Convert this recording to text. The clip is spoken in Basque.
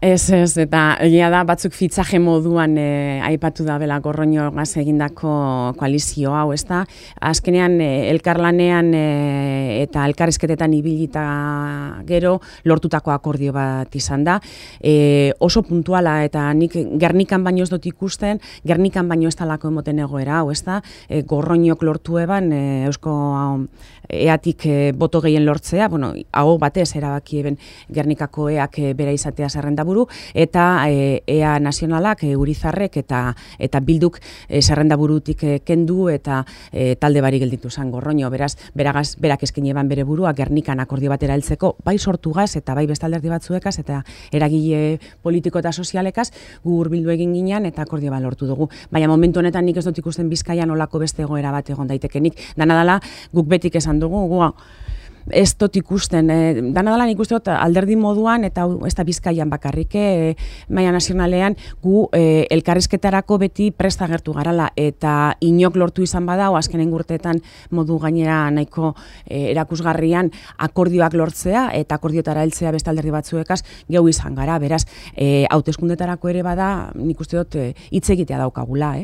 Ez, eta egia da batzuk fitzaje moduan aipatu da bela Gorroñogaz egindako koalizio hau, ezta? Azkenean elkarlanean eta elkarrizketetan ibilita gero lortutako akordio bat izan da. Oso puntuala eta nik Gernikan baino ez dut ikusten, Gernikan baino ez talako emoten egoera hau, ezta? Gorroñok lortu eban Eusko eatik boto gehien lortzea, hau batez erabaki eben Gernikako eak bera izatea zerrendaburu, eta ea nazionalak, Urizarrek eta Bilduk zerrendaburutik kendu eta talde bari gelditu zen Gorroño. Berak eskaini eban bere burua Gernikan akordio batera heltzeko, bai sortugaz eta bai beste alderdi batzuekaz eta eragile politiko eta sozialekaz gu hurbildu egin ginean eta akordio bat lortu dugu. Baina momentu honetan nik ez dut ikusten Bizkaian olako beste egoera bat egon daitekenik. Dana dela guk betik esan dugu, ez dut ikusten, dana dela nik uste dut alderdi moduan eta ez da Bizkaian bakarrik, maila nazionalean gu elkarrizketarako beti presta agertu garala eta inok lortu izan badao azkenen urteetan modu gainera nahiko erakusgarrian akordioak lortzea eta akordiotara heltzea beste alderdi batzuekaz geu izan gara, beraz hauteskundetarako ere bada nik uste dut hitz egitea daukagula.